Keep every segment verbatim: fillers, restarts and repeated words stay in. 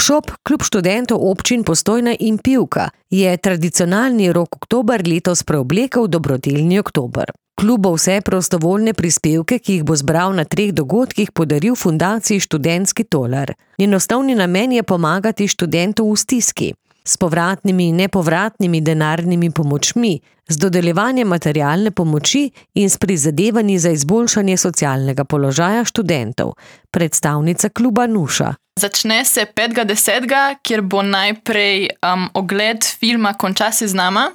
Workshop Klub študentov občin Postojna in Pivka je tradicionalni rok oktober letos preoblekel v dobrodelni oktober. Klub bo vse prostovoljne prispevke, ki jih bo zbral na treh dogodkih, podaril fundaciji Študentski tolar. Njen osnovni namen je pomagati študentom v stiski, s povratnimi in nepovratnimi denarnimi pomočmi, z dodeljevanjem materialne pomoči in s prizadevanji za izboljšanje socialnega položaja študentov. Predstavnica kluba Nuša. Začne se petega desetega, kjer bo najprej um, ogled filma Konča se z nama.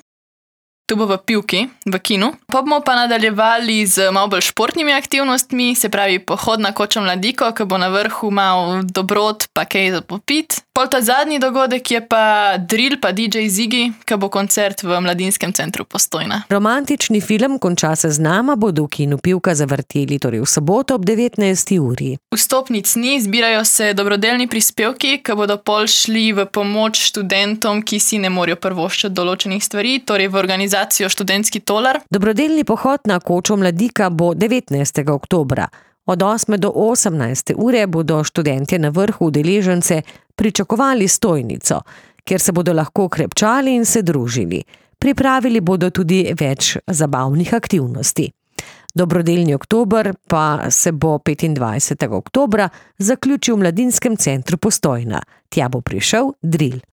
Tu bo v Pivki, v kinu. Pa bomo pa nadaljevali z malo bolj športnimi aktivnostmi, se pravi pohod na kočo Mladiko, ki bo na vrhu malo dobrot pa kaj za popit. Pol ta zadnji dogodek je pa drill pa D J Ziggy, ki bo koncert v Mladinskem centru Postojna. Romantični film Konča se z nama bodo v kinu Pivka zavrteli torej v soboto ob devetnajsti uri. Vstopnic ni, zbirajo se dobrodelni prispevki, ki bodo pol šli v pomoč študentom, ki si ne morejo privoščiti določenih stvari, torej v organizacijo Študentski tolar. Dobrodelni pohod na kočo Mladika bo devetnajstega oktobra. Od osme do osemnajste ure bodo študentje na vrhu udeležence pričakovali stojnico, kjer se bodo lahko krepčali in se družili. Pripravili bodo tudi več zabavnih aktivnosti. Dobrodelni oktober pa se bo petindvajsetega oktobra zaključil v Mladinskem centru Postojna. Tja bo prišel drill.